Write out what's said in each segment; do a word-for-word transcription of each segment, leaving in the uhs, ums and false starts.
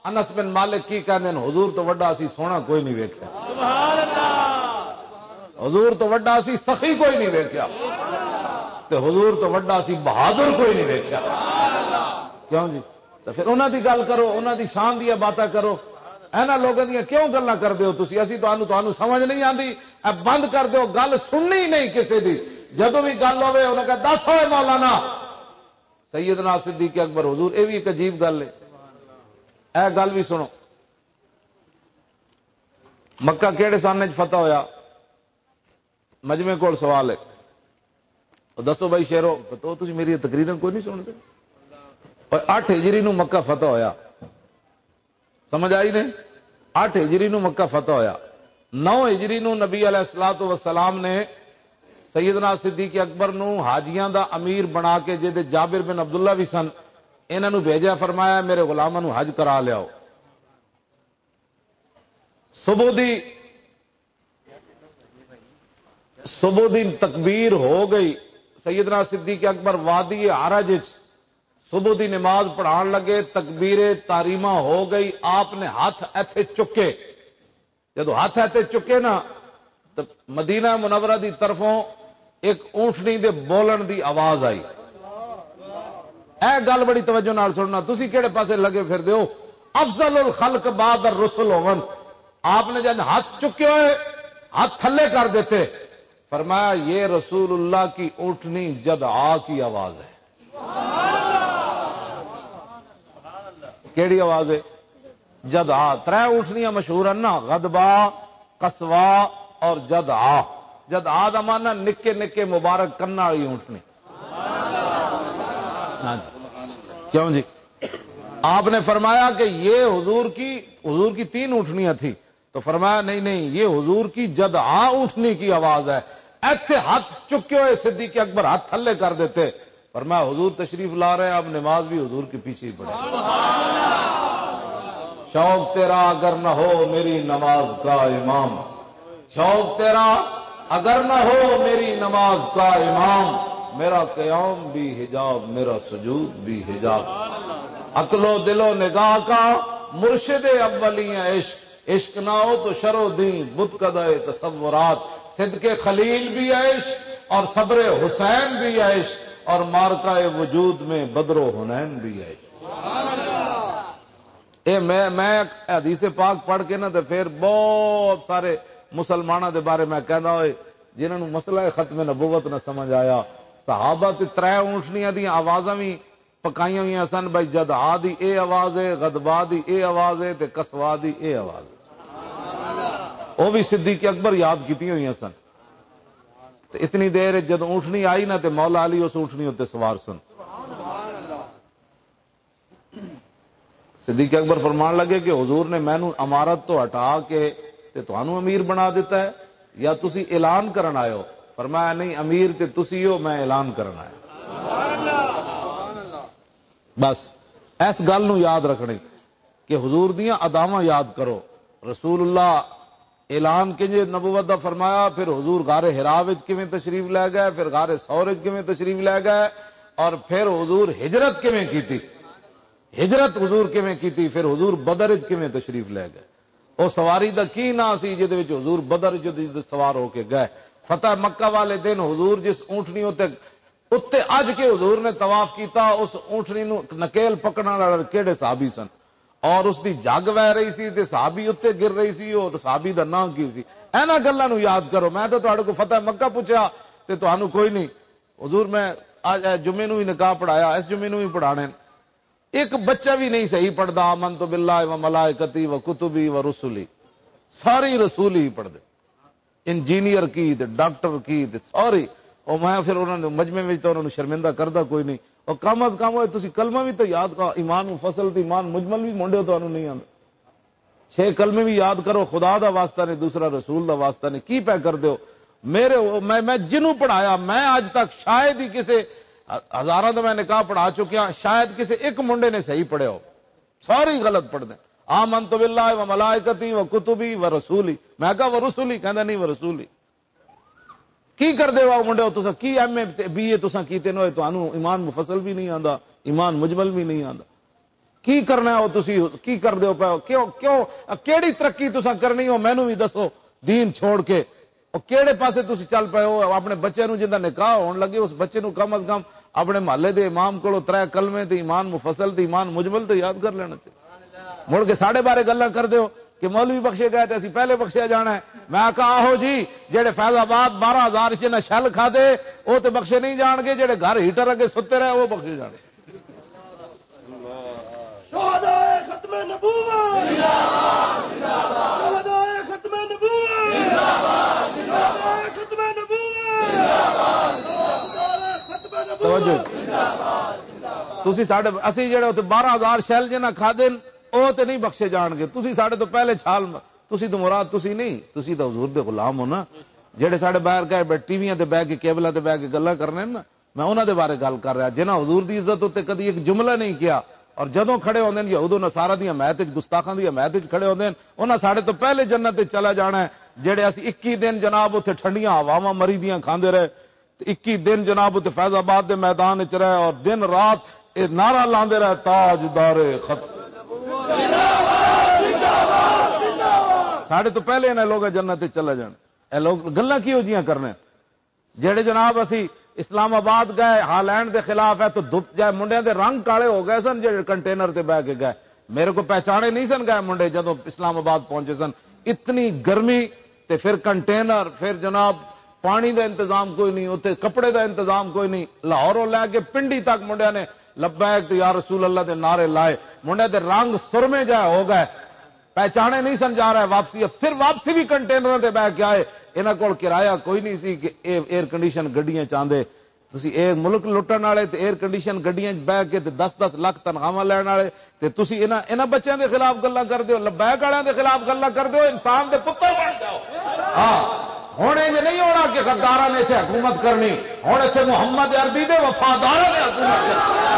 انس بن مالک کی کہندے نے، "حضور تو وڈا اسی سونا کوئی نہیں ویکھیا، حضور تو وڈا اسی سخی کوئی نہیں ویکھیا، تے حضور تو وڈا اسی بہادر کوئی نہیں ویکھیا۔" کیوں جی؟ تو پھر انہاں دی گل کرو، انہاں دی شان دیاں باتاں کرو۔ انہاں لوگاں دیاں کیوں گلاں کردے ہو تسی؟ اسی تانوں، تانوں سمجھ نہیں آندی۔ اے بند کر دیو، گل سننی ہی نہیں کسے دی۔ جدوں بھی گل ہوے، انہاں کہا، "دس ہوئے مولانا۔" سیدنا صدیق اکبر، حضور، اے بھی ایک عجیب گل ہے۔ اے گل بھی سنو، مکہ کیڑے سن وچ فتح ہویا؟ مجمع کول سوال ہے۔ او دسو بھائی شیرو، تو تسی میری تقریراں کوئی نہیں سنتے؟ اور اٹھ ہجری نو مکہ فتح ہویا، سمجھ آئی نے؟ اٹھ ہجری نو مکہ فتح ہویا، نو ہجری نو نبی علیہ الصلوۃ والسلام نے سیدنا صدیق اکبر نو حاجیاں دا امیر بنا کے، جے دے جابر بن عبداللہ بھی سن، انہاں نو بھیجا، فرمایا، "میرے غلاماں نو حج کرا لیاؤ۔" صبح دی، صبح دی تکبیر ہو گئی۔ سیدنا صدیق اکبر وادی عرج وچ صبح دی نماز پڑھان لگے، تکبیر تاریمہ ہو گئی، آپ نے ہاتھ ایتھے چکے۔ جدوں ہاتھ ایتھے چکے نا، تو مدینہ منورہ دی طرفوں ایک اونٹنی دے بولن دی آواز آئی۔ اے گل بڑی توجہ نال سننا، تسی کہڑے پاسے لگے پھر دیو؟ افضل الخلق بعد الرسل ہون۔ آپ نے جب ہاتھ چکے ہوئے، ہاتھ تھلے کر دیتے، فرمایا، "یہ رسول اللہ کی اونٹنی جدعا کی آواز ہے۔" کیڑی آواز ہے؟ جدعا۔ ترے اونٹنیاں مشہور ہیں نا، غدبا، قصوا اور جدعا۔ جدعا دا معنی نکے نکے مبارک کن والی اونٹنی۔ ہاں جی۔ کیوں جی؟ آپ نے فرمایا کہ یہ حضور کی، حضور کی تین اونٹنیاں تھیں، تو فرمایا، "نہیں، نہیں، یہ حضور کی جدعا اونٹنی کی آواز ہے۔" ایتھے ہاتھ چکے ہوئے صدیق اکبر ہاتھ تھلے کر دیتے، فرمایا، "حضور تشریف لا رہے ہیں، اب نماز بھی حضور کے پیچھے ہی پڑھیں۔" شوق تیرا اگر نہ ہو میری نماز کا امام، شوق تیرا اگر نہ ہو میری نماز کا امام، میرا قیام بھی حجاب، میرا سجود بھی حجاب۔ عقل و دل و نگاہ کا مرشد اولی عشق، عشق نہ ہو تو شر و دین، بت کدائے تصورات، صدق خلیل بھی عشق اور صبر حسین بھی عشق اور مارکہ وجود میں بدر و حنین بھی عشق۔ اے میں، میں حدیث پاک پڑھ کے نا تے پھر بہت سارے مسلماناں دے بارے میں کہندا ہوئے، جنہاں نوں مسئلہ ختم نبوت نہ سمجھ آیا۔ صحابہ تے ترے اونٹنیاں دیاں آوازاں وی پکائیاں ہوئیاں سن، بھائی جدعا دی اے آواز ہے، غدبا دی اے آواز ہے تے قصوا دی اے آواز ہے۔ او وی صدیق اکبر یاد کیتیاں ہوئیاں سن۔ تے اتنی دیر وچ جدوں اونٹنی آئی نا تے مولا علی اس اونٹنی اُتے سوار سن۔ صدیق اکبر فرمان لگے کہ حضور نے مینوں امارت تو ہٹا کے تے تانوں امیر بنا دیتا ہے، یا تسی اعلان کرن آئے ہو؟ فرمایا، نہیں، امیر تے تسی ہو، میں اعلان کرن آیا۔ بس، اس گل نو یاد رکھنی کہ حضور دیاں اداواں یاد کرو۔ رسول اللہ اعلان کنجے نبوت دا فرمایا، پھر حضور غار حرا وچ کیویں تشریف لے گئے، پھر غار ثور وچ کیویں تشریف لے گئے، اور پھر حضور ہجرت کیویں کیتی، ہجرت حضور کیویں کیتی، پھر حضور بدر وچ کیویں تشریف لے گئے۔ او سواری دا کی نام سی جدے وچ حضور بدر وچ جدوں سوار ہو کے گئے؟ فتح مکہ والے دن حضور جس اونٹنی اُتے، اُتے اج کے حضور نے طواف کیتا، اس اونٹنی نو نکیل پکڑن والے کیڑے صحابی سن؟ اور اس دی جگ وہ رہی سی تے صحابی اُتے گر رہی سی، اور صحابی دا نام کی سی؟ اینا گلاں نو یاد کرو۔ میں تے تہاڈے کو فتح مکہ پوچھیا تے تہانوں کوئی نہیں۔ حضور، میں اج، اے جمعے نو بھی نکاح پڑھایا، اس جمعے نو بھی پڑھانے۔ ایک بچہ بھی نہیں صحیح پڑھدا، "آمنت باللہ و ملائکتی و کتبی و رسلی۔" ساری رسول ہی پڑھدے۔ انجینئر کی تے ڈاکٹر کی تے ساری۔ او میں پھر انہاں دے مجمع وچ تے انہاں نوں شرمندہ کردا کوئی نہیں۔ او کم از کم، اوئے، تسی کلمہ وی تے یاد کر، ایمان مفصل تے ایمان مجمل وی منڈے تانوں نہیں آندے۔ چھ کلمے وی یاد کرو، خدا دا واسطہ نے، دوسرا رسول دا واسطہ نے، کی پے کر دیو؟ میرے، میں، میں جنوں پڑھایا، میں اج تک شاید ہی کسے، ہزاراں دا میں نکاح پڑھا چکیا، شاید کسے ایک منڈے نے صحیح پڑھیا ہو، سارے ہی غلط پڑھدے۔ آمنت باللہ و ملائکتی و کتبی و رسولی۔ میں کہا، "و رسولی؟" کہندا، "نہیں، و رسولی۔" کی کردے ہو منڈے ہو تساں؟ کی ایم اے تے بی اے تساں کیتے نو؟ تانوں ایمان مفصل بھی نہیں آندا، ایمان مجمل بھی نہیں آندا۔ کی کرنا ہے وہ؟ تسی کی کر دیو پے ہو؟ کیوں کیوں کیڑی ترقی تساں کرنی ہو؟ مینوں بھی دسو۔ دین چھوڑ کے وہ کیڑے پاسے تسی چل پے ہو؟ اپنے بچے نوں جندا نکاح ہون لگے، اس بچے نوں کم از کم اپنے محلے دے امام کولوں ترے کلمے تے ایمان مفصل تے ایمان مجمل تے یاد کر لینا چاہیے۔ مڑ کے ساڈے بارے گلاں کر دیو کہ مولوی بخشے گئے تے اسی پہلے بخشیا جانا ہے۔ میں کہا، آہو جی، جڑے فیض آباد بارہ ہزار شے نہ شل کھا دے، وہ تے بخشے نہیں جان گے، جڑے گھر ہیٹر اگے ستے رہے، وہ بخشے جان گے۔ شہدائے ختم نبوت! شہدائے ختم نبوت! شہدائے ختم نبوت! شہدائے ختم نبوت! توجہ۔ تسی ساڈے، اسی جڑے اتھے بارہ ہزار شیل جنہاں کھادے نے، او تے نہیں بخشے جان گے۔ تسی ساڈے تو پہلے چھال م-، تسی تو مراد تسی نہیں، تسی تو حضور دے غلام ہو نا۔ جڑے ساڈے باہر گئے بیٹھے ٹی ویاں تے بہ کے، کیبلاں تے بہ کے گلاں کرنے نا، میں انہاں دے بارے گل کر رہا، جنہاں حضور دی عزت اُتے کدی ایک جملہ نہیں کیا، اور جدوں کھڑے ہوندے نے یہود و نصارہ دی حمایت وچ، گستاخاں دی حمایت وچ کھڑے ہوندے نے، انہاں ساڈے تو پہلے جنت وچ چلا جانا ہے۔ جڑے اسی اکی دن جناب اُتے ٹھنڈیاں ہواواں مری دیاں کھاندے رہے، تے اکی دن جناب اُتے فیض آباد دے میدان وچ رہے اور دن رات اے نعرہ لاندے رہے، "تاجدار ختم۔" ساڈے تو پہلے انہاں لوگاں جنت وچ چلا جانا۔ اے لوگ گلاں کیہو جیاں کرنے؟ جڑے جناب اسی اسلام آباد گئے، ہالینڈ دے خلاف ہے، تو دھپ جائے، منڈیاں دے رنگ کالے ہو گئے سن جڑے کنٹینر تے بہ کے گئے۔ میرے کو پہچانے نہیں سن گئے منڈے، جدوں اسلام آباد پہنچے سن۔ اتنی گرمی، تے پھر کنٹینر، پھر جناب پانی دا انتظام کوئی نہیں، اتھے کپڑے دا انتظام کوئی نہیں۔ لاہوروں لے کے پنڈی تک منڈیاں نے لبیک تو یا رسول اللہ دے نعرے لائے۔ منڈے دے رنگ سرمے جائے ہو گئے، پہچانے نہیں سن جا رہا ہے۔ واپسی، پھر واپسی بھی کنٹینراں تے بہ کے آئے۔ انہاں کول کرایہ کوئی نہیں سی کہ اے ایئر کنڈیشن گڈیاں چاہندے۔ تسی اے ملک لٹن والے تے ایئر کنڈیشن گڈیاں 'چ بہ کے تے دس دس لاکھ تنخواہاں لین والے، تے تسی انہاں، انہاں بچیاں دے خلاف گلاں کر دیو، لبیک والےاں دے خلاف گلاں کر دیو، انسان دے پتر بن جاؤ۔ ہاں، ہن انج نہیں ہونا کہ غداراں نے اتھے حکومت کرنی، ہن اتھے محمد عربی دے وفاداراں نے حکومت کرنی۔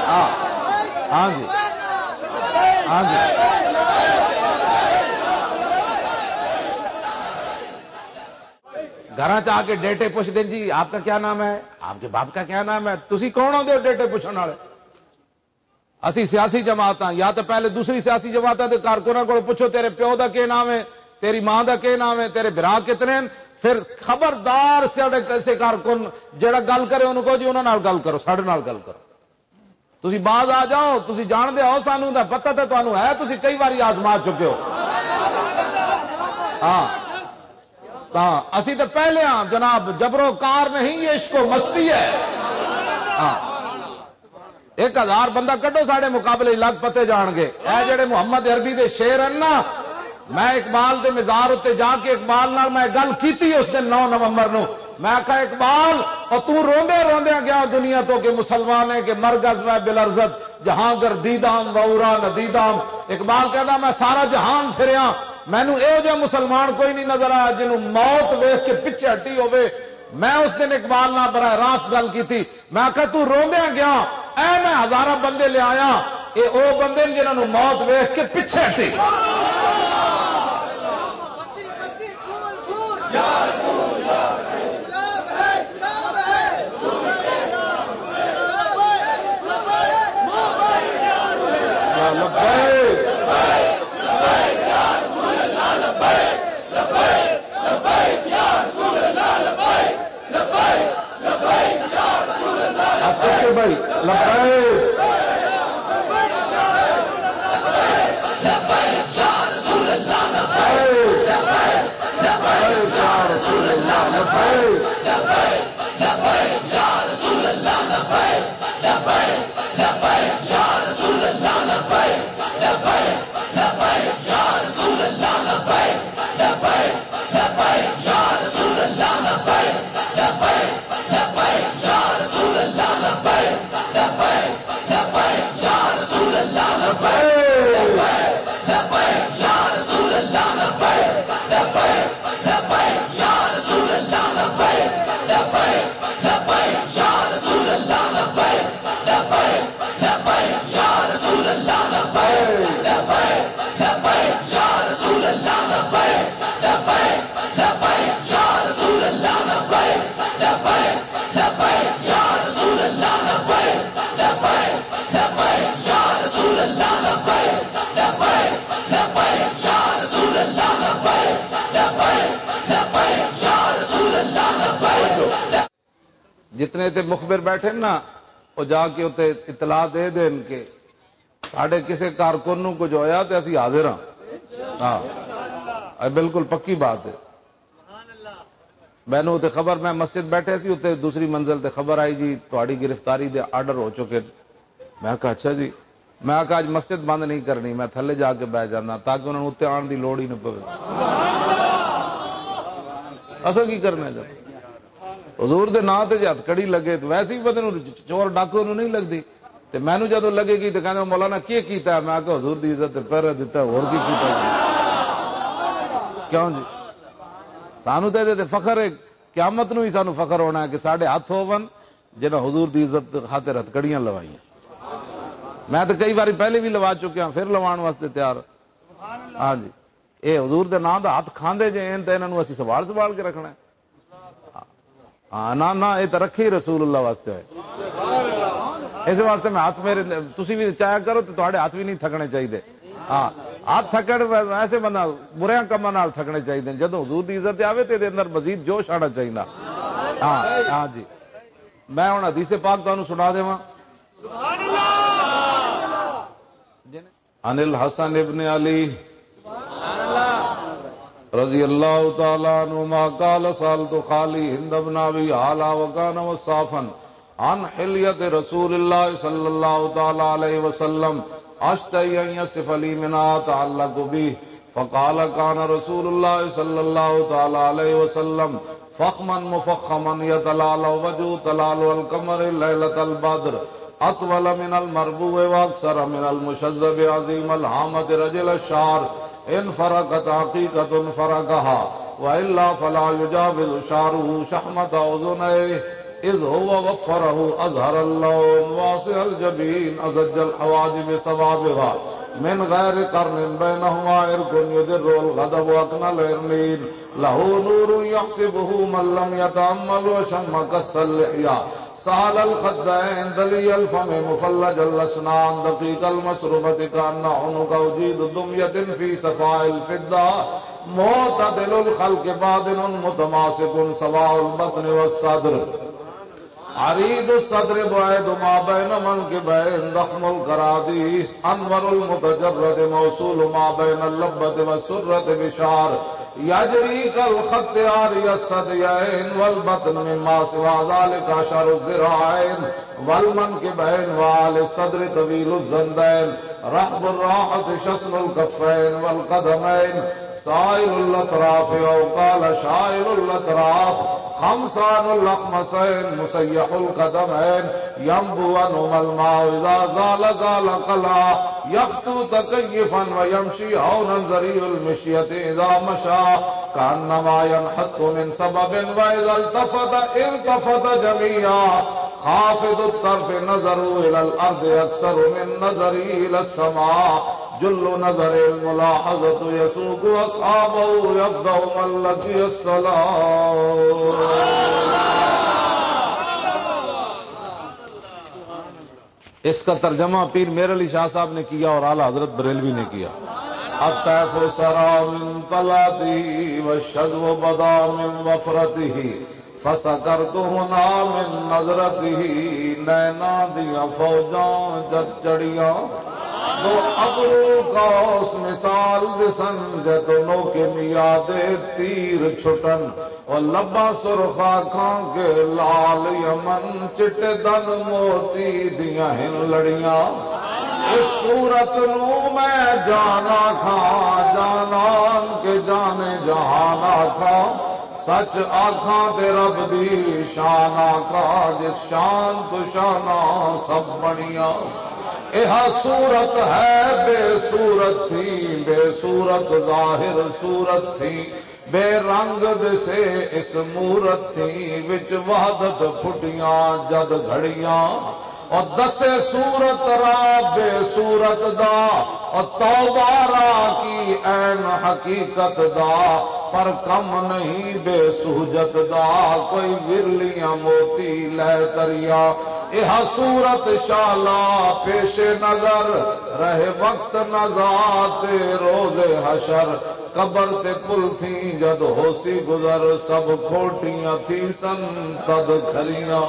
ہاں، ہاں جی، ہاں جی۔ گھراں چ آ کے ڈیٹے پوچھدے، "جی، آپ کا کیا نام ہے؟ آپ کے باپ کا کیا نام ہے؟" تسی کون ہوندے ہو ڈیٹے پوچھن والے؟ اسی سیاسی جماعتاں، یا تو پہلے دوسری سیاسی جماعتاں دے کارکناں کولوں پوچھو، "تیرے پیو دا کی نام ہے؟ تیری ماں دا کی نام ہے؟ تیرے بھرا کتنے ہیں؟" پھر خبردار سیاڈے کسے کارکن جڑا گل کرے، انہوں کہو، "جی، انہاں نال گل کرو، ساڈے نال گل کرو۔" تسی باز آ جاؤ، تسی جان دے ہو، سانو دا پتہ تے تانوں ہے، تسی کئی واری آزما چکے ہو۔ ہاں، تاں اسی تے پہلے ہاں جناب، جبرو کار نہیں، یہ عشق و مستی ہے۔ ہاں، ایک ہزار بندہ کڈو ساڈے مقابلے، لگ پتے جان گے۔ اے جڑے محمد عربی دے شعر ہیں نا، میں اقبال دے مزار اُتے جا کے اقبال نال میں گل کیتی اس دن نو نومبر نو۔ میں کہا، "اقبال، او تو روندے روندے گیا دنیا تو کہ مسلمان ہے کہ مرگز و بلرزت، جہاں گر دیدام و اورا ندیدام۔" اقبال کہندا، "میں سارا جہان پھریا، مینوں ایہو جہا مسلمان کوئی نہیں نظر آیا جنوں موت ویکھ کے پچھے ہٹی ہوے۔" میں اس دن اقبال نال براہ راست گل کیتی۔ میں آکھیا، "تو روندیاں گیا، اے میں ہزاراں بندے لے آیا، اے او بندے نے جنہاں نوں موت ویکھ کے پچھے ہٹی۔" یا لبیک۔ لبیک، لبیک، یا رسول اللہ، لبیک، لبیک، لبیک، یا رسول اللہ، ہاتھ چکے بھائی، لبیک۔ لبیک، یا رسول اللہ، لبیک۔ لبیک، یا رسول اللہ، لبیک۔ لبیک، یا رسول اللہ، لبیک۔ لبیک، لبیک، یا رسول اللہ، لبیک۔ لبیک، لبیک، یا رسول اللہ، لبیک۔ لبیک، لبیک، یا رسول اللہ، لبیک۔ لبیک، لبیک، یا رسول اللہ، لبیک۔ لبیک، لبیک، یا رسول اللہ، لبیک۔ لبیک، لبیک، یا رسول اللہ، لبیک۔ لبیک، لبیک، یا رسول اللہ، لبیک۔ لبیک، لبیک، یا رسول اللہ، لبیک۔ لبیک، لبیک، یا رسول اللہ، لبیک۔ لبیک، لبیک، یا رسول اللہ، لبیک۔ لبیک، لبیک، یا رسول اللہ، لبیک۔ لبیک، لبیک، یا رسول اللہ، لبیک۔ لبیک، لبیک، یا رسول جتنے تے مخبر بیٹھے نا، وہ جا کے اتنے اطلاع دے دین کہ ساڈے کسے کارکن نوں کچھ ہویا تے اسی حاضر ہاں۔ ہاں، اے بالکل پکی بات ہے۔ مینوں تے خبر، میں مسجد بیٹھے سی، اتنے دوسری منزل تے خبر آئی، "جی، تہاڈی گرفتاری دے آرڈر ہو چکے۔" میں کہا، "اچھا جی۔" میں کہا، "اج مسجد بند نہیں کرنی، میں تھلے جا کے بہ جانا تاکہ انہاں نوں اتنے آن دی لوڑ ہی نہ پوے۔" اصل کی کرنا جب حضور دے نام تے جے ہتھ کڑی لگے تو ویسے ہی بندے نوں، چور ڈاکو نوں نہیں لگدی۔ تے مینوں جدوں لگے گی تے کہندے، "مولانا، کی کیتا ہے؟" میں کہا، "حضور دی عزت تے پہرا دتا، ہور کی کیتا ہے؟" کیوں جی؟ سانوں تے ادے تے فخر ہے، قیامت نوں ہی سانوں فخر ہونا ہے کہ ساڈے ہتھ ہوون جنہاں حضور دی عزت خاطر ہتھ کڑیاں لوائیاں۔ میں تے کئی واری پہلے بھی لوا چکیا، پھر لوان واسطے تیار۔ ہاں جی، اے حضور دے نام دا ہتھ کھاندے جے، ان تے انہاں نوں اسی سوال سوال کے رکھنا ہے۔ ہاں، نہ، نہ، یہ تو رکھے ہی رسول اللہ واسطے ہوئے۔ اس واسطے میں ہاتھ میرے، تسی بھی چاہیا کرو تو تہاڈے ہاتھ بھی نہیں تھکنے چاہیے۔ ہاں، ہاتھ تھکن ایسے بندہ بریاں کماں نال تھکنے چاہیے۔ جدوں حضور دی عزت آوے تو دے اندر مزید جوش آنا چاہیے۔ ہاں، ہاں جی، میں ہن حدیث پاک تانوں سنا دیواں۔ عن الحسن ابن علی رضی اللہ تعالی عنہما قال: سألت خالی ہند ابن ابی حالا وکان وصافا عن حلیت رسول اللہ صلی اللہ تعالی علیہ وسلم، اشتہی ان یصف لی منها اتعلق بہ، فقال: كان رسول الله صلى الله تعالى عليه وسلم فخما مفخما يتلالى وجهه تلالع القمر ليلة البدر، أطول من المربوع وأقصر من المشذب، عظيم الهامة رجل الشعر، إن فرقت عقيقة فرقها، وإلا فلا يجاوز شعره شحمة أذنيه، إذ هو وفره أزهر اللون واسع الجبين أزج الحواجب صوابغا من غير قرن بينهما عرق يدر الغضب أقنى العرنين له نور يحسبه من لم يتأمل وشم قص اللحية سهل الخدين دلي الفم مفلج الأسنان دقيق المسربة كأن عنق أجيد دمية في صفاء الفضة معتدل الخلق باطن متماسك سواء البطن والصدر عريض الصدر بعيد ما بين منكبين ضخم الكراديس أنور المتجرد موصول ما بين اللبة والسرة بشعر يجري كالخط عاري الثديين والبطن مما سوى ذلك أشعر الذراعين والمنكبين وعالي الصدر طويل الزندين رحب الراحة شسن الكفين والقدمين سائل الأطراف أو قال شائل الأطراف خمسان الأخمصين مسيح القدمين ينبو عنهما الماء إذا زال زال قلعا يخطو تكيفا ويمشي هونا ذريع المشية إذا مشى كأنما ينحط من سبب وإذا التفت التفت جميعا خافض الطرف نظره إلى الأرض أكثر من نظره إلى السماء جل نظر الملاحظة يسوق أصحابه يبدأ من لقي الصلاة. اس کا ترجمہ پیر میر علی شاہ صاحب نے کیا اور اعلیٰ حضرت بریلوی نے کیا۔ الطیف سرا من طلعته والشذو بدا من وفرته فسکرت ہنا من نظرته، نینا دیاں فوجاں جد چڑیاں، دو ابرو قوس مثال دسن، جے تو نوکے میادے تیر چھٹن، او لباں سرخ آنکھاں کے لال یمن، چٹے دن موتی دیاں ہن لڑیاں۔ اس صورت نو میں جان آکھاں، جانان کے جان جہان آکھاں، سچ آکھاں تے رب دی شان آکھاں، جس شان تو شاناں سب بنیاں۔ ایہا صورت ہے بے صورت تھی، بے صورت ظاہر صورت تھی، بے رنگ دسے اس مورت تھی، وچ وحدت پھٹیاں جد گھڑیاں۔ او دسے صورت را بے صورت دا، او توبہ را کی عین حقیقت دا، پر کم نہیں بے سہجت دا، کوئی ورلیاں موتی لے تریا۔ یہ صورت شالا پیش نظر، رہے وقت نزا تے روز حشر۔ قبر تے پل تھی جد ہوسی گزر، سب کھوٹیاں تھی سن تد کھلیاں۔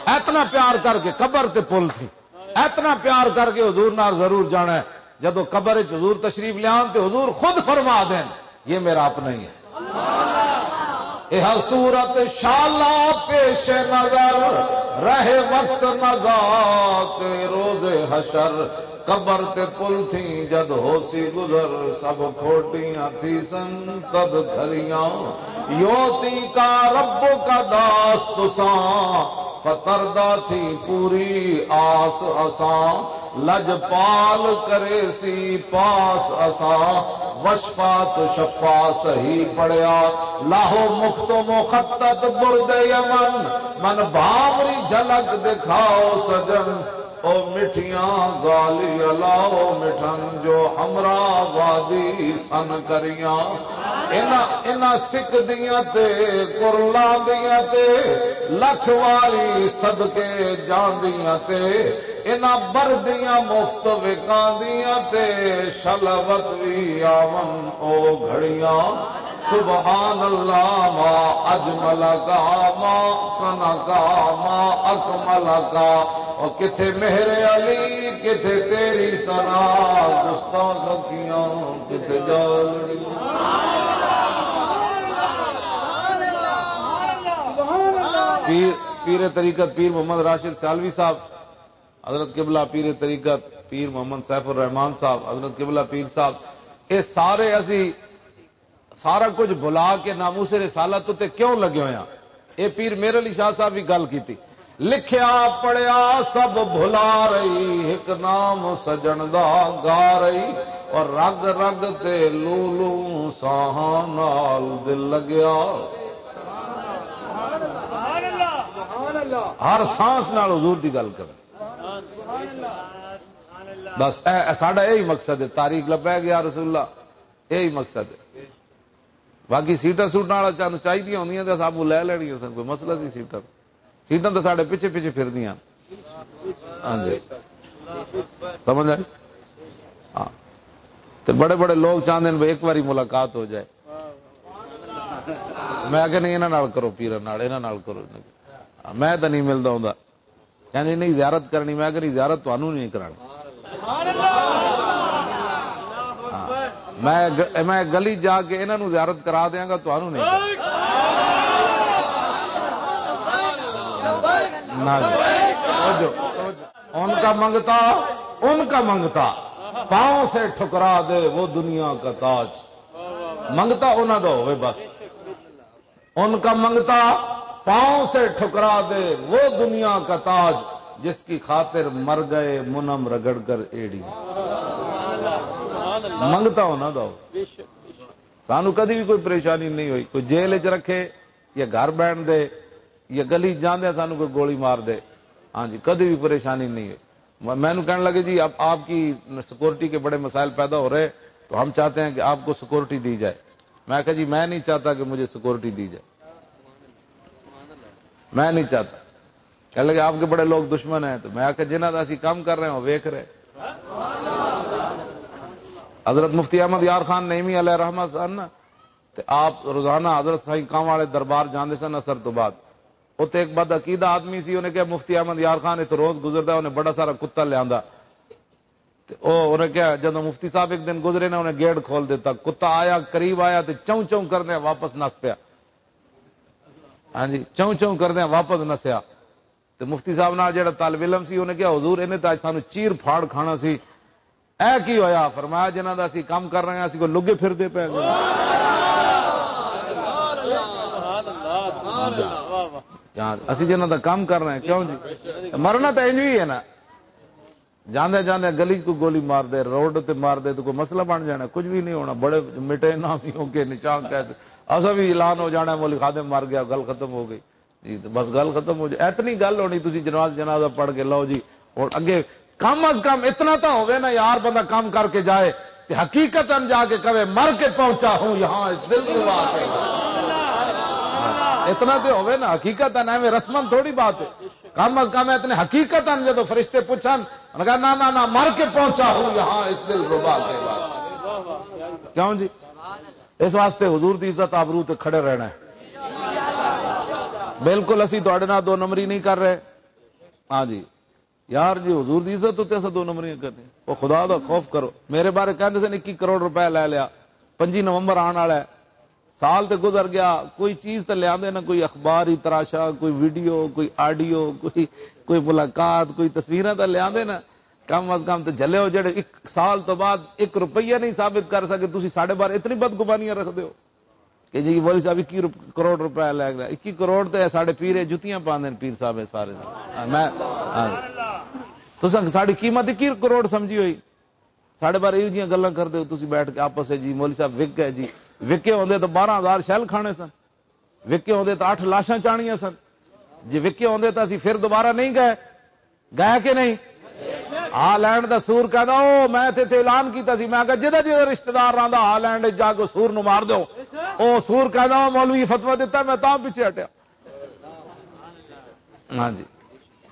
اتنا پیار کر کے قبر تے پل تھی، اتنا پیار کر کے حضور نال ضرور جانا ہے۔ جدوں قبر وچ حضور تشریف لیان تے حضور خود فرما دین، یہ میرا اپنا ہی ہے۔ یہ صورت شالا پیش نظر، رہے وقت نزا تے روز حشر۔ قبر تے پل تھی جد ہوسی گزر، سب کھوٹیاں تھی سن تد کھلیاں۔ یوتی کا رب کا داس تساں، فتردہ تھی پوری آس اساں۔ لجپال کرے سی پاس اساں، وشفا تو شفا صحیح پڑیا۔ لاہو مخت و مخطط برد یمن، من بھاوری جھلک دکھاؤ سجن۔ او مٹھیاں گالی الاؤ مٹھن، جو ہمراہ وادی سن کریاں۔ انہاں، انہاں سکھ دیاں تے کرلاں دیاں تے لکھ واری صدقے جاندیاں تے، انہاں بردیاں مفت وکاندیاں تے شلوت وی آون او گھڑیاں۔ سبحان اللہ ما اجمل کا، ما سنا کا، ما اکمل کا۔ اور کتھے مہر علی، کتھے تیری سنا، گستاخ کیاں کتھے جالڑی۔ پیر، پیر طریقت پیر محمد راشد سالوی صاحب، حضرت قبلہ پیر طریقت پیر محمد سیف الرحمان صاحب، حضرت قبلہ پیر صاحب، یہ سارے اسی سارا کچھ بھلا کے ناموس رسالت تے کیوں لگے ہوئے ہیں؟ یہ پیر میر علی شاہ صاحب بھی گل کی تھی۔ لکھیا پڑھیا سب بھلا رہی، ایک نام سجن دا گا رہی، اور رگ رگ تے لو لو ساہاں نال دل لگیا۔ ہر سانس نال حضور دی گل کرنی۔ بس اے، اے ساڈا یہی مقصد ہے، تاریخ لبیک یا رسول اللہ، یہی مقصد ہے۔ باقی سیٹاں سوٹاں والا چانو چاہیے ہوندیاں تے اساں لے لینیاں سن، کوئی مسئلہ سی سیٹاں؟ سیٹاں تو ساڈے پیچھے پیچھے پھر دیاں۔ ہاں جی، سمجھ آئی؟ ہاں۔ تے بڑے بڑے لوگ چاہندے نے بھی ایک باری ملاقات ہو جائے۔ میں کہ نہیں، انہاں نال کرو، پیراں نال، انہاں نال کرو۔ میں تو نہیں ملدا ہوندا۔ کہندے نہیں زیارت کرنی، میں کہنی زیارت تانوں نہیں کرانی۔ ہاں۔ میں گ-، میں گلی جا کے انہاں نوں زیارت کرا دیاں گا، تانوں نہیں کرانی۔ نہ جی۔ توجہ، توجہ۔ ان کا منگتا، ان کا منگتا، پاؤں سے ٹھکرا دے وہ دنیا کا تاج۔ منگتا انہاں دا ہوئے بس۔ ان کا منگتا پاؤں سے ٹھکرا دے وہ دنیا کا تاج، جس کی خاطر مر گئے منم رگڑ کر ایڑی۔ منگتا ہونا دا ہو۔ سانو کدی بھی کوئی پریشانی نہیں ہوئی، کوئی جیل وچ رکھے یا گھر بہن دے یا گلی جاندے سانو کوئی گولی مار دے، ہاں جی، کدی بھی پریشانی نہیں ہوئی۔ میں، مینوں کہنے لگے، "جی، اب آپ کی سیکورٹی کے بڑے مسائل پیدا ہو رہے، تو ہم چاہتے ہیں کہ آپ کو سیکورٹی دی جائے۔" میں کہا، "جی، میں نہیں چاہتا کہ مجھے سیکورٹی دی جائے، میں نہیں چاہتا۔" کہنے لگے، "آپ کے بڑے لوگ دشمن ہیں۔" تو میں کہا، "جنہاں دا اسی کام کر رہے ہیں، وہ ویکھ رہے۔" حضرت مفتی احمد یار خان نعیمی علیہ رحمت سن، تے آپ روزانہ حضرت سائیں کام والے دربار جاندے سن اثر تو بعد۔ اتھے ایک بد عقیدہ آدمی سی، انہیں کہا، "مفتی احمد یار خان اتھے روز گزردا ہے، انہیں بڑا سارا کتا لیاندا۔" تے او، انہیں کہا، جدوں مفتی صاحب ایک دن گزرے نا، انہیں گیٹ کھول دیتا، کتا آیا، قریب آیا تے چوں چوں کردے واپس نس پیا۔ ہاں جی، چوں چوں کردے واپس نسیا۔ تے مفتی صاحب نال جڑا طالب علم سی، انہیں کہا، "حضور، انہیں تے اج سانو چیر پھاڑ کھانا سی، اے کی ہویا؟" فرمایا، "جنہاں دا اسی کام کر رہے ہیں، اسی کو لگے پھر دے پے گئے۔" یار، اسی جنہاں دا کام کر رہے ہیں، کیوں جی؟ مرنا تو انج ہی ہے نا۔ جاندے جاندے گلی کو گولی مار دے، روڈ تے مار دے، تو کوئی مسئلہ بن جانا؟ کچھ بھی نہیں ہونا۔ بڑے مٹے نامی ہو کے نشان کہتے، اسا بھی اعلان ہو جانا ہے، مولوی خادم مر گیا، گل ختم ہو گئی۔ جی، تو بس گل ختم ہو جائے۔ اتنی گل ہونی، تسی جناز، جنازہ پڑھ کے لو جی، اور اگے کم از کم اتنا تو ہوے نا یار، بندہ کم کر کے جائے تے حقیقتاً جا کے کہے، "مر کے پہنچا ہوں یہاں اس دل کو آ کے۔" اتنا تے ہوئے نا، حقیقت ہے نا، ایویں رسمن تھوڑی بات ہے۔ کم از کم اتنے حقیقت ہیں، جدو فرشتے پوچھن، انہوں نے کہا، "نہ، نہ، نہ، مر کے پہنچا ہوں یہاں اس دل ربا کے بعد۔" کیوں جی؟ اس واسطے حضور دی عزت آبرو تے کھڑے رہنا ہے۔ بالکل اسی تہاڈے نال دو نمبری نہیں کر رہے۔ ہاں جی، یار جی، حضور دی عزت تے اساں دو نمبریاں کرنی۔ او خدا دا خوف کرو۔ میرے بارے کہندے سن، "اکی کروڑ روپے لے لیا، پنجی نومبر آن والا ہے۔" سال تے گزر گیا، کوئی چیز تے لے آندے نا، کوئی اخباری تراشا، کوئی ویڈیو، کوئی آڈیو، کوئی، کوئی ملاقات، کوئی تصویراں تے لے آندے نا۔ کم از کم تے جھلے ہو، جڑے ایک سال تو بعد ایک روپیہ نہیں ثابت کر سکے، تسی ساڈے بارے اتنی بدگمانیاں رکھدے ہو کہ جی مولوی صاحب اکی روپ-، کروڑ روپے لے گیا۔ اکی کروڑ تے ساڈے پیر جتیاں پاندے نے، پیر صاحب سارے۔ میں، ہاں۔ تساں ساڈی قیمت اکی کروڑ سمجھی ہوئی؟ ساڈے بارے ایہو جیاں گلاں کردے ہو تسی بیٹھ کے آپس وچ، جی مولوی صاحب وک گئے جی، وکے ہوندے تو بارہ ہزار شیل کھانے سن، وکے ہوندے تو اٹھ لاشاں چانیاں سن۔ جی وکے ہوندے تو اسی پھر دوبارہ نہیں گئے، گئے کہ نہیں؟ ہالینڈ دا سور کہندا، "او میں تے اتھے اعلان کیتا سی، میں کہا جدا جدا رشتہ دار رہندا ہالینڈ وچ جا کے سور نوں مار دیو۔" او سور کہندا، "او مولوی فتویٰ دتا، میں تاں پیچھے ہٹیا۔" ہاں جی،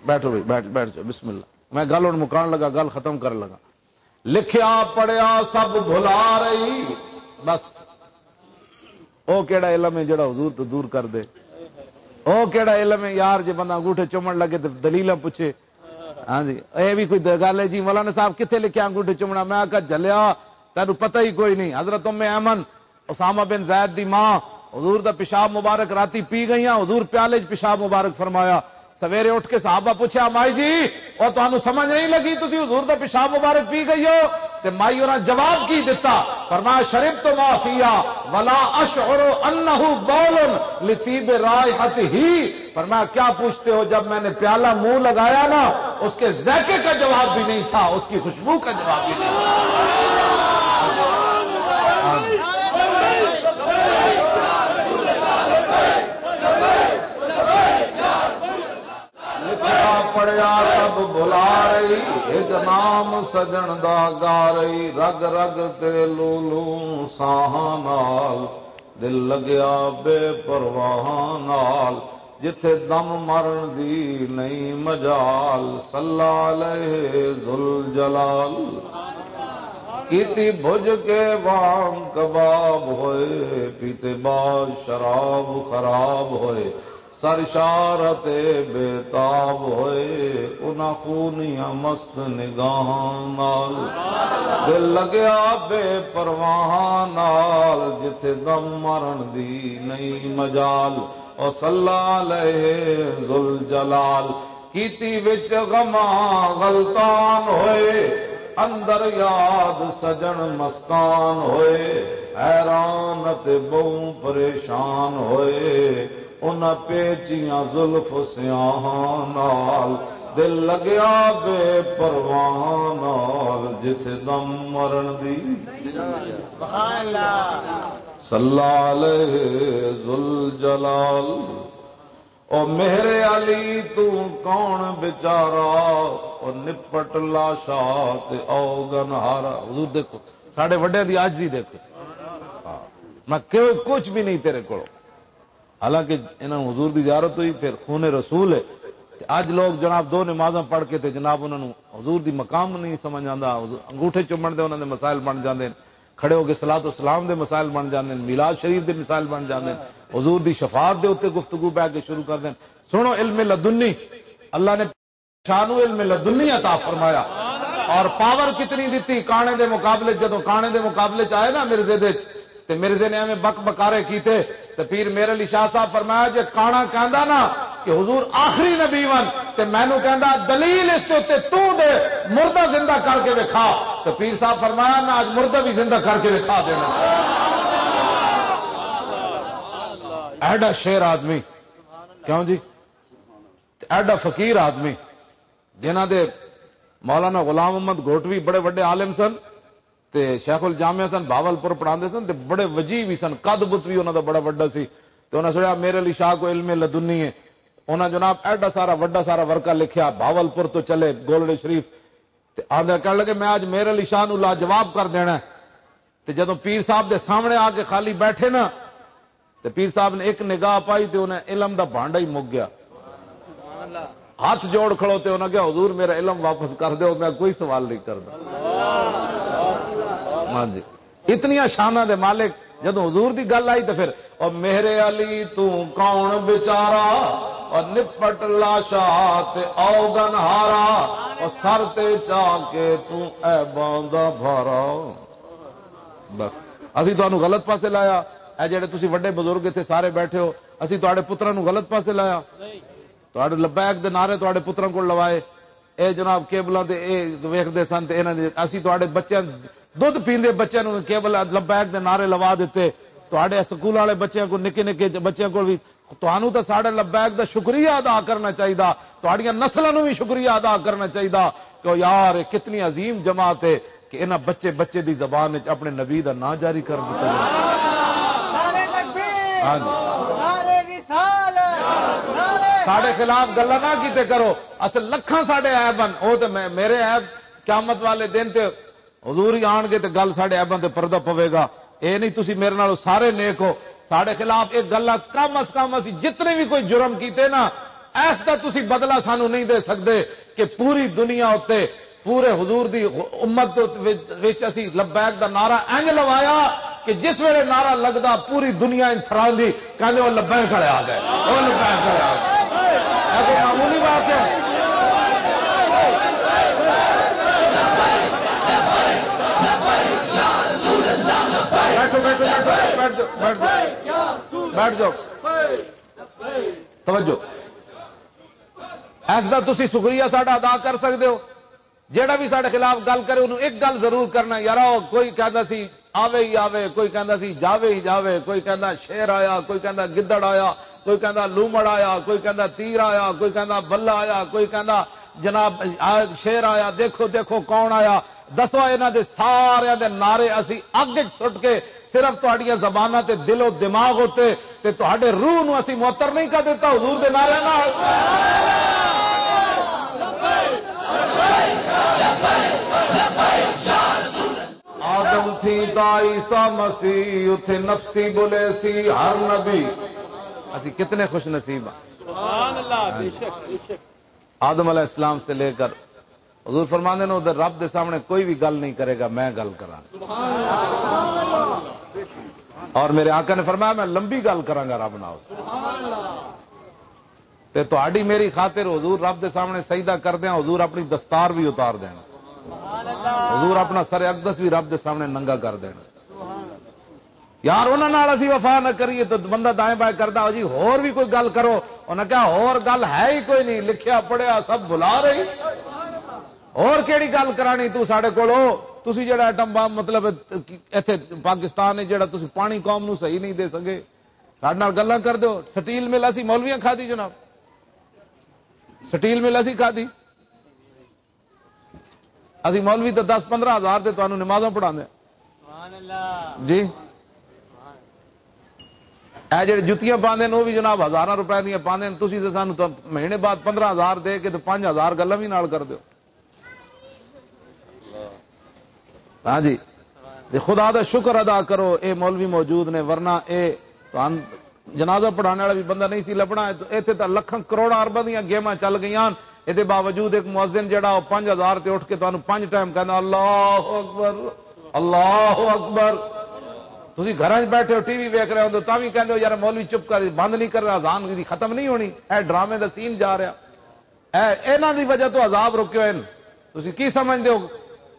بیٹھو بھائی، بیٹھ، بیٹھ جاؤ، بسم اللہ۔ میں گل ہن مکان لگا، گل ختم کرن لگا۔ لکھیا پڑھیا سب بھلا رہی۔ بس، او کیڑا علم ہے جڑا حضور تو دور کر دے؟ او کیڑا علم ہے یار، جے بندہ انگوٹھے چومن لگے تے دلیلاں پوچھے؟ ہاں جی، اے بھی کوئی د-، گل ہے جی؟ مولانا صاحب کتھے لکھیا انگوٹھے چومنا؟ میں آکھیا، "جھلیا، تینوں پتہ ہی کوئی نہیں۔" حضرت ام ایمن، اسامہ بن زید دی ماں، حضور دا پیشاب مبارک راتی پی گئیاں، حضور پیالے 'چ پیشاب مبارک فرمایا۔ سویرے اٹھ کے صحابہ پوچھیا، "مائی جی، او تانوں سمجھ نہیں لگی، تسی حضور دا پیشاب مبارک پی گئی ہو؟" تے مائی انہاں جواب کی دتا؟ فرمایا، "شربت ما فیہا ولا اشعر انہ بول لطیب رائحتہ۔" فرمایا، "کیا پوچھتے ہو، جب میں نے پیالہ منہ لگایا نا، اس کے ذائقے کا جواب بھی نہیں تھا، اس کی خوشبو کا جواب بھی نہیں تھا۔" لکھیا پڑھیا سب بھلا رہی، ایک نام سجن دا گا رہی، رگ رگ تے لو لو ساہاں نال، دل لگیا بے پرواہاں نال، جتھے دم مرن دی نئی مجال، صلی علیہ ذوالجلال۔ کیتی بھج کے وام کباب ہوئے، پیتے بعد شراب خراب ہوئے، سر شارت بے تاب ہوئے، انہاں خونیاں مست نگاہاں نال۔ دل لگیا بے پرواہاں نال، جتھے دم مرن دی نئی مجال۔ او صلی علیہ ذوالجلال۔ کیتی وچ غماں غلطان ہوئے، اندر یاد سجن مستان ہوئے، حیران تے بہوں پریشان ہوئے۔ انہاں پیچیاں زلف سیاہاں نال، دل لگیا بے پرواہاں نال، جتھے دم مرن دی۔ سبحان اللہ۔ صلی علیہ ذوالجلال۔ او مہر علی تو کون بیچارہ، او نپٹ لاشا تے او گنہارا۔ حضور دیکھو، ساڈے وڈے دی عاجزی دیکھو۔ ہاں۔ میں کہ کچھ بھی نہیں تیرے کولوں۔ حالانکہ انہاں نوں حضور دی زیارت ہوئی، پھر خون رسول ہے۔ تے اج لوگ جناب دو نمازاں پڑھ کے تے جناب انہاں نوں حضور دی مقام نہیں سمجھ آندا۔ حضور، انگوٹھے چومن دے انہاں دے مسائل بن جاندے نے، کھڑے ہو کے صلوات و سلام دے مسائل بن جاندے نے، میلاد شریف دے مسائل بن جاندے نے، حضور دی شفاعت دے اوتے گفتگو بہ کے شروع کر دین۔ سنو علم لدنی، اللہ نے شاہ نو علم لدنی عطا فرمایا۔ اور پاور کتنی دتی کانے دے مقابلے، جدوں کانے دے مقابلے چ آئے نا مرزے دے چ، تے مرزے نے ایویں بک بکارے کیتے۔ تے پیر میر علی شاہ صاحب فرمایا، جے کانا کہندا نا کہ حضور آخری نبی ون، تے مینوں کہندا دلیل اس تے اُتے تو دے، مردہ زندہ کر کے وکھا۔ تے پیر صاحب فرمایا، میں اج مردہ بھی زندہ کر کے وکھا دینا۔ ایڈا شیر آدمی، کیوں جی؟ تے ایڈا فقیر آدمی، جنہاں دے مولانا غلام محمد گھوٹوی بڑے وڈے عالم سن، تے شیخ الجامعہ سن، بھاولپور پڑھاندے سن، تے بڑے وجیہ وی سن، قد بت وی انہاں دا بڑا وڈا سی۔ تے انہاں سنیا میر علی شاہ کو علم لدنی ہے۔ انہاں جناب ایڈا سارا وڈا سارا ورقہ لکھیا، بھاولپور تو چلے گولڑے شریف۔ تے آندے کہن لگے، "میں اج میر علی شاہ نو لاجواب کر دینا ہے۔" تے جدوں پیر صاحب دے سامنے آ کے خالی بیٹھے نا، تے پیر صاحب نے ایک نگاہ پائی تے انہیں علم دا بھانڈا ہی مک گیا۔ ہاتھ جوڑ کھڑو تے انہاں کہا، "حضور، میرا علم واپس کر دیو، میں کوئی سوال نہیں کرنا۔" ہاں جی، اتنیاں شاناں دے مالک۔ جدوں حضور دی گل آئی تے پھر، "او میرے علی، تو کون بیچارہ، اور نپٹ لاشا تے اوگن ہارا، اور سر تے چا کے تو عیباں دا بھارا۔" بس، اسی تانوں غلط پاسے لایا۔ اے جڑے تسی وڈے بزرگ اتھے سارے بیٹھے ہو، اسی تہاڈے پتراں نوں غلط پاسے لایا۔ تہاڈے لبیک دے نعرے تہاڈے پتراں کول لوائے۔ اے جناب کیبلاں تے اے ویکھدے سن تے انہاں دے، اسی تہاڈے بچیاں، دودھ پیندے بچیاں نوں کیبل لبیک دے نعرے لوا دتے۔ تہاڈے سکول والے بچیاں کو، نکے نکے بچیاں کول وی تانوں تاں ساڈے لبیک دا شکریہ ادا کرنا چاہیدا، تہاڈیاں نسلاں نوں وی شکریہ ادا کرنا چاہیدا کہ او یار، اے کتنی عظیم جماعت ہے کہ انہاں بچے بچے دی زبان وچ اپنے نبی دا نام جاری کر دتا۔ نعرہ تکبیر، ہاں جی۔ نعرہ رسالت، نعرہ ساڈے خلاف گلاں نہ کیتے کرو، اصل لکھاں ساڈے عیب ہن، او تے میں، میرے عیب قیامت والے دن تے حضور ہی آن گے تے گل ساڈے عیباں تے پردہ پوے گا۔ اے نہیں تسی میرے نال سارے نیک ہو، ساڈے خلاف ایک گل آ، کم از کم اسی جتنے بھی کوئی جرم کیتے نا، ایس دا تسی بدلہ سانو نہیں دے سکدے کہ پوری دنیا اتے پورے حضور دی امت وچ، وچ اسی لبیک دا نعرہ انج لوایا کہ جس ویلے نعرہ لگدا پوری دنیا انج تھراندی۔ کہندے، "او لبیک والے آ گئے، او لبیک والے آ گئے۔" اے کوئی معمولی بات ہے؟ بیٹھو، بیٹھو، بیٹھو، بیٹھ جاؤ، بیٹھ جاؤ، بیٹھ جاؤ۔ توجہ۔ ایس دا تسی شکریہ ساڈا ادا کر سکدے ہو۔ جیڑا بھی ساڈے خلاف گل کرے، انہوں ایک گل ضرور کرنا، یارا، کوئی کہندا سی، "آوے ہی آوے"، کوئی کہندا سی، "جاوے ہی جاوے"، کوئی کہندا، "شیر آیا"، کوئی کہندا، "گدڑ آیا"، کوئی کہندا، "لومڑ آیا"، کوئی کہندا، "تیر آیا"، کوئی کہندا، "بلہ آیا"، کوئی کہندا، "جناب، آ، شیر آیا، دیکھو، دیکھو کون آیا"۔ دسو، انہاں دے ساریاں دے نعرے اسی اگ وچ سٹ کے صرف تہاڈیاں زباناں تے دل و دماغ ہوتے تے تہاڈے روح نو اسی معطر نہیں کر دیتا حضور دے نعرے نال۔ آدم تھی تا عیسیٰ مسیح، اتھے نفسی بولے سی ہر نبی۔ اسی کتنے خوش نصیب ہاں۔ سبحان اللہ، بے شک، بے شک۔ آدم علیہ السلام سے لے کر حضور فرماندے نے، "ادھر رب دے سامنے کوئی بھی گل نہیں کرے گا، میں گل کراں۔" اور میرے آقا نے فرمایا، "میں لمبی گل کراں گا رب نال۔" تے تہاڈی میری خاطر حضور رب دے سامنے سجدہ کر دیاں، حضور اپنی دستار بھی اتار دینا، حضور اپنا سر اقدس بھی رب دے سامنے ننگا کر دینا۔ یار، انہاں نال اسی وفا نہ کریے تو بندہ دائیں بائیں کردا، "او جی، ہور بھی کوئی گل کرو۔" انہاں کہا، "ہور گل ہے ہی کوئی نہیں، لکھیا پڑھیا سب بھلا رہی۔ ہور کیڑی گل کرانی تو ساڈے کولو؟ تسی جڑا ایٹم بم، مطلب، ایتھے پاکستان ہے جڑا تسی پانی قوم نو صحیح نہیں دے سکے، ساڈے نال گلاں کر دیو۔" سٹیل مل اسی مولویاں کھادی جناب، سٹیل مل اسی کھادی۔ اسی مولوی تو دس پندرہ ہزار تے تانوں نمازاں پڑھاندے ہیں۔ جی، اے جڑے جتیاں پاندے نے، وہ بھی جناب ہزاراں روپے دیاں پاندے نے۔ تسی تے سانوں تو مہینے بعد پندرہ ہزار دے کے تے پنج ہزار گلاں بھی نال کر دیو۔ ہاں جی، تے خدا دا شکر ادا کرو، اے مولوی موجود نے، ورنہ اے تہان جنازہ پڑھانے والا بھی بندہ نہیں سی لبنا۔ ایتھے تاں لکھاں کروڑاں ارباں دیاں گیماں چل گئیاں، اے دے باوجود ایک مؤذن جڑا او پنج ہزار تے اٹھ کے تانوں پنج ٹائم کہندا، "اللہ اکبر، اللہ اکبر۔" تسی گھراں وچ بیٹھے ہو، ٹی وی ویکھ رہے ہو، تاں وی کہندے ہو، "یار، مولوی چپ کر، بند نہیں کر رہا، اذان دی ختم نہیں ہونی، اے ڈرامے دا سین جا رہا۔" اے، انہاں دی وجہ تو عذاب رکے ہوئے نے۔ تسی کی سمجھدے ہو؟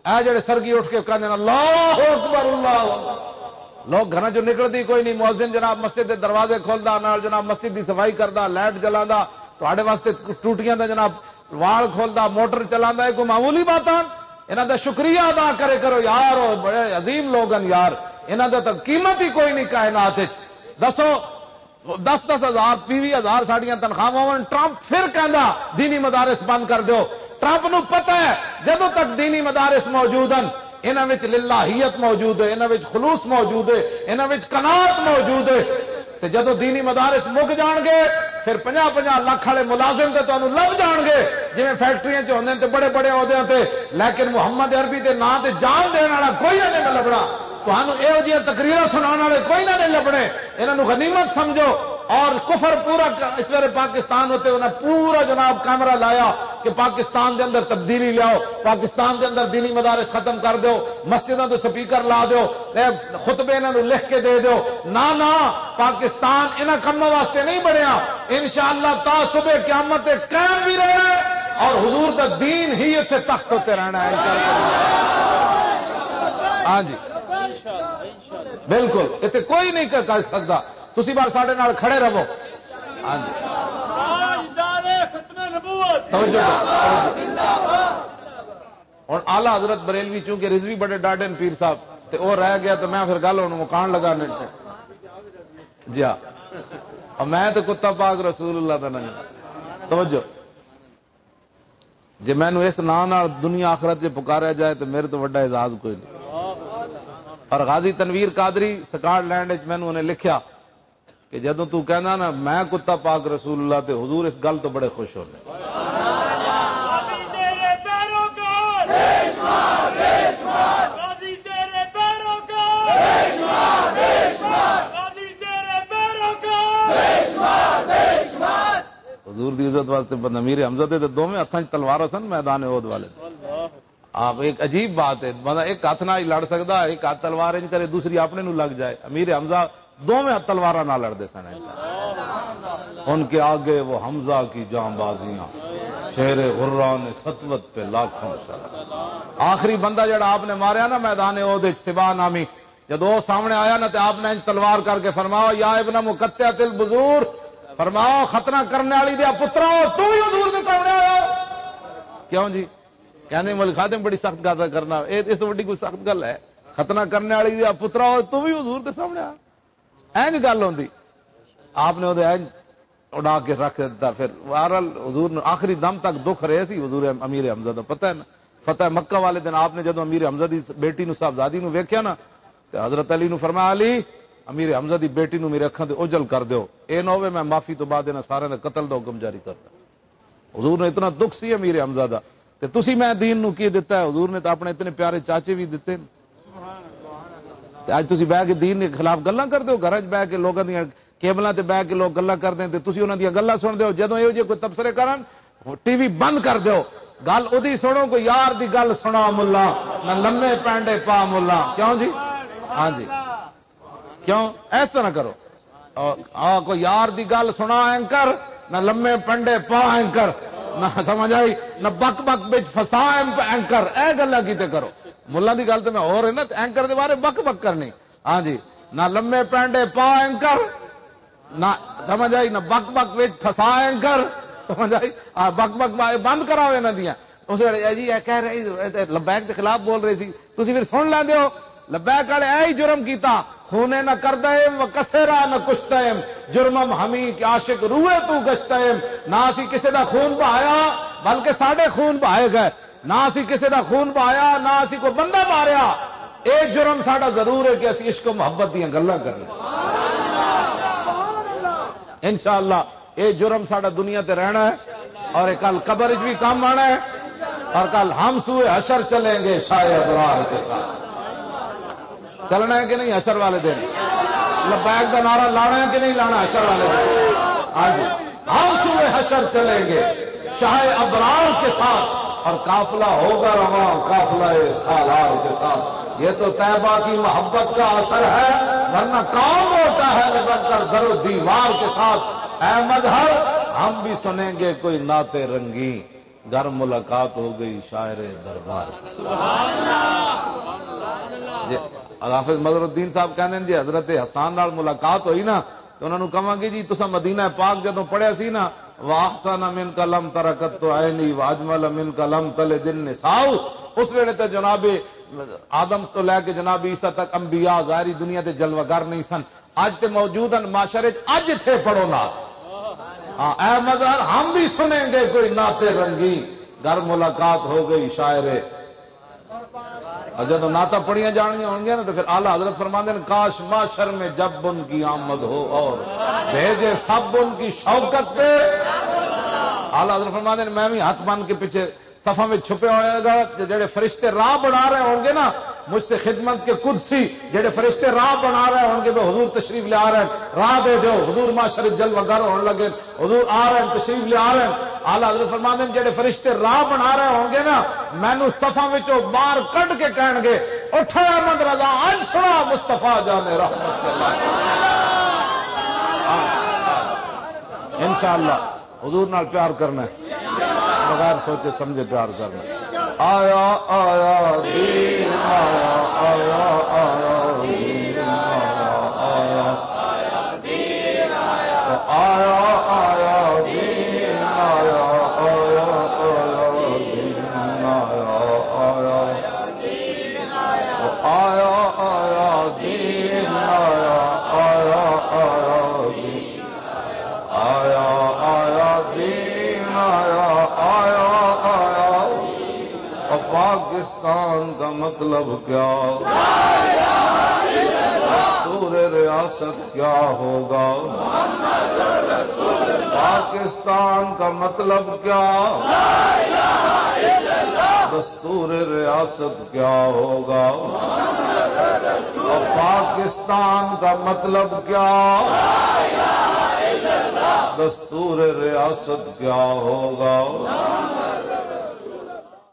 اے جڑے سرگی اٹھ کے کہندے نے، "اللہ اکبر، اللہ اکبر۔" لوگ گھراں چوں نکلدی کوئی نہیں، مؤذن جناب مسجد دے دروازے کھولدا، نال جناب مسجد دی صفائی کردا، لائٹ جلاندا، تہاڈے واسطے ٹوٹیاں دا جناب وال کھولدا، موٹر چلاندا، اے کوئی معمولی باتاں؟ انہاں دا شکریہ ادا کرے کرو یار، او بڑے عظیم لوگ ہن یار، انہاں دا تاں قیمت ہی کوئی نہیں کائنات وچ۔ دسو، دس دس ہزار، ویہہ ویہہ ہزار ساڈیاں تنخواہاں ہون، ٹرمپ پھر کہندا، "دینی مدارس بند کر دیو۔" ٹرمپ نو پتہ ہے، جدوں تک دینی مدارس موجود ہن، انہاں وچ للہیت موجود ہے، انہاں وچ خلوص موجود ہے، انہاں وچ قناعت موجود ہے۔ تے جدوں دینی مدارس مک جان گے، پھر پنجاہ پنجاہ لکھ والے ملازم تے تانوں لب جان گے، جویں فیکٹریاں چ ہوندے نے تے بڑے بڑے عہدیاں تے، لیکن محمد عربی دے ناں تے جان دین والا کوئی نہ لبنا۔ تانوں ایہو جیاں تقریراں سناون والے کوئی نہ نہیں لبنے۔ انہاں نوں غنیمت سمجھو۔ اور کفر پورا ک-، اس ویلے پاکستان اُتے انہاں پورا، جناب، کیمرہ لایا کہ پاکستان دے اندر تبدیلی لیاؤ، پاکستان دے اندر دینی مدارس ختم کر دیو، مسجداں تے سپیکر لا دیو، اے خطبے انہاں نوں لکھ کے دے دیو۔ نہ، نہ، پاکستان انہاں کماں واسطے نہیں بنیا۔ انشاءاللہ تا صبح قیامت تے قائم بھی رہنا ہے اور حضور دا دین ہی اتھے تخت اُتے رہنا ہے۔ ہاں جی، بالکل، اتھے کوئی نہیں کر سکتا۔ تسی بار ساڈے نال کھڑے رہو۔ ہاں جی۔ توجہ کرو، توجہ۔ ہن اعلیٰ حضرت بریلوی چونکہ رضوی بڑے ڈاڈے نے پیر صاحب، تے او رہ گیا، تے میں پھر گل ہن مکان لگا نے۔ جی ہاں، اور میں تے کتا پاک رسول اللہ دا نام۔ توجہ۔ جے مینوں اس نام نال دنیا آخرت 'چ پکاریا جائے تے میرے تو وڈا اعزاز کوئی نہیں۔ اور غازی تنویر قادری سکاٹ لینڈ 'چ مینوں انہیں لکھیا کہ جدوں تو کہنا نا، "میں کتا پاک رسول اللہ"، تے حضور اس گل تو بڑے خوش ہوندے۔ حضور دی عزت واسطے بندہ، امیر حمزہ دے تے دوویں ہتھاں 'چ تلوار سن میدان احد والے۔ آپ، ایک عجیب بات ہے، بندہ ایک ہاتھ نال ہی لڑ سکدا، ایک ہاتھ تلوار انج کرے، دوسری اپنے نو لگ جائے۔ امیر حمزہ دوویں ہتھ تلواراں نال لڑدے سن۔ ان کے آگے وہ حمزہ کی جاں بازیاں، شیر غران سطوت پہ لاکھوں سر۔ آخری بندہ جڑا آپ نے ماریا نا میدان احد وچ، سبا نامی، جدوں وہ سامنے آیا نا، تے آپ نے انج تلوار کر کے فرمایا، "یا ابن مقطعۃ البذور"، فرمایا، "ختنہ کرنے والی دے پترا، تو بھی حضور دے سامنے آیا ہو؟" کیوں جی؟ کہنے، "مول خادم، بڑی سخت گل کرنا، اے اس تو وڈی کوئی سخت گل ہے؟ ختنہ کرنے والی دے پترا، تو بھی حضور دے سامنے آیا؟" اینج گل ہوندی۔ آپ نے اودے اینج اڑا کے رکھ دتا۔ پھر بہرحال حضور نے آخری دم تک دکھ رہے سی حضور امیر حمزہ دا، پتہ ہے نا؟ فتح مکہ والے دن آپ نے جدوں امیر حمزہ دی بیٹی نو، صاحبزادی نو ویکھیا نا، تے حضرت علی نو فرمایا، "علی، امیر حمزہ دی بیٹی نو میرے اکھاں تے اوجل کر دیو، اے نہ ہووے میں معافی تو بعد انہاں سارے دا قتل دا حکم جاری کردا۔" حضور نے اتنا دکھ سی امیر حمزہ دا۔ تے تسی میں دین نو کی دتا ہے؟ حضور نے تو اپنے اتنے پیارے چاچے بھی دتے نے۔ تے اج تسی بہ کے دین دے خلاف گلاں کردے ہو، گھراں 'چ بہ کے لوکاں دیاں کیبلاں تے بہ کے لوک گلاں کردے نے، تے تسی انہاں دیاں گلاں سنڑدے ہو۔ جدوں ایہو جے کوئی تبصرے کرن، ٹی وی بند کر دیو۔ گل ادی سنو، کوئی یار دی گل سنا ملا، نہ لمے پینڈے پا ملا۔ کیوں جی؟ ہاں جی۔ کیوں؟ اس طرح کرو۔ آ، آ، کوئی یار دی گل سنا اینکر، نہ لمے پنڈے پا اینکر، نہ سمجھ آئی، نہ بک بک وچ فسا ایم-، اینکر۔ اے گلاں کیتے کرو۔ ملاں دی گل تے میں ہور ہے نا، تے اینکر دے بارے بک بک کرنی۔ ہاں جی، نہ لمے پنڈے پا اینکر، نہ سمجھ آئی، نہ بک بک وچ فسا اینکر۔ سمجھ آئی؟ آ، بک بک با-، بند کراؤ انہاں دیاں۔ اس ویلے اے جی، اے کہہ رہے، اے تے لبیک دے خلاف بول رہے سی، تسی پھر سن لیندے ہو۔ لبیک والے اے ہی جرم کیتا، خونے نہ کردائم و کسیرا نہ کشتائم، جرمم ہمی کہ عاشق روئے تو گشتائم۔ نہ اسی کسے دا خون بہایا، بلکہ ساڈے خون بہائے گئے۔ نہ اسی کسے دا خون بہایا، نہ اسی کوئی بندہ ماریا۔ اے جرم ساڈا ضرور ہے کہ اسی عشق و محبت دیاں گلاں کرنی۔ انشاءاللہ اے جرم ساڈا دنیا تے رہنا ہے اور اے کل قبر وچ بھی کام آنا ہے اور کل ہم سوئے حشر چلیں گے شاہ ابرار کے ساتھ۔ چلنا ہے کہ نہیں حشر والے دن؟ لبیک دا نعرہ لانا ہے کہ نہیں لانا حشر والے دن؟ ہاں جی، ہم سوئے حشر چلیں گے شاہ ابرار کے ساتھ اور قافلہ ہوگا رواں قافلہ سالار کے ساتھ۔ یہ تو طیبہ کی محبت کا اثر ہے، ورنہ کون روتا ہے لپٹ کر در و دیوار کے ساتھ؟ اے مظہر، ہم بھی سنیں گے کوئی نعت رنگی، گر ملاقات ہو گئی شاعر دربار کے ساتھ۔ جی، حافظ مظہر الدین صاحب کہندے نے، جی حضرت حسان نال ملاقات ہوئی نا، تے انہاں نوں کہاں گے، "جی، تساں مدینہ پاک جدوں پڑھیا سی نا، واحسن منک لم تر قط عینی واجمل منک لم تلد النساء۔" اس ویلے تے جناب آدم تو لے کے جناب عیسیٰ تک انبیاء ظاہری دنیا دے جلوہ گر نہیں سن۔ اج تے موجود ہیں معاشرے وچ، اج اتھے پڑھو نعت۔ ہاں، اے مظہر، ہم بھی سنیں گے کوئی نعت رنگی، گر ملاقات ہو گئی شاعر اور جب نعتاں پڑھیاں جانیاں ہونگیاں نا، تو پھر اعلیٰ حضرت فرماندے نے، "کاش محشر میں جب ان کی آمد ہو اور بھیجے سب ان کی شوکت پہ۔" اعلیٰ حضرت فرماندے نے، "میں بھی ہاتھ بن کے پیچھے صفاں وچ چھپے ہوئے گا، تے جڑے فرشتے راہ بنا رہے ہونگے نا، مجھ سے خدمت کے قدسی، جڑے فرشتے راہ بنا رہے ہون گے، وہ حضور تشریف لے آ رہے ہیں، راہ دے دیو۔ حضور معاشر جلوہ گر ہون لگے، حضور آ رہے ہیں، تشریف لے آ رہے ہیں۔ اعلیٰ حضرت فرماندے ہیں، جڑے فرشتے راہ بنا رہے ہون گے نا، مینوں صفاں وچوں باہر کڈ کے کہن گے، "اٹھ اے احمد رضا، اج سنا مصطفیٰ جان رحمت اللہ۔" انشاءاللہ۔ حضور نال پیار کرنا ہے، بغیر سوچے سمجھے پیار کرنا ہے۔ آیا، آیا، دین آیا، آیا، آیا، دین آیا، آیا۔ آیا، آیا، دین آیا، آیا، آیا، دین آیا، آیا۔ آیا، آیا، دین آیا، آیا، آیا، دین آیا، آیا، دین آیا، آیا، آیا۔ اور پاکستان کا مطلب کیا؟ دستور ریاست کیا ہوگا؟ پاکستان کا مطلب کیا؟ دستور ریاست کیا ہوگا؟ اور پاکستان کا مطلب کیا؟ دستور ریاست کیا ہوگا؟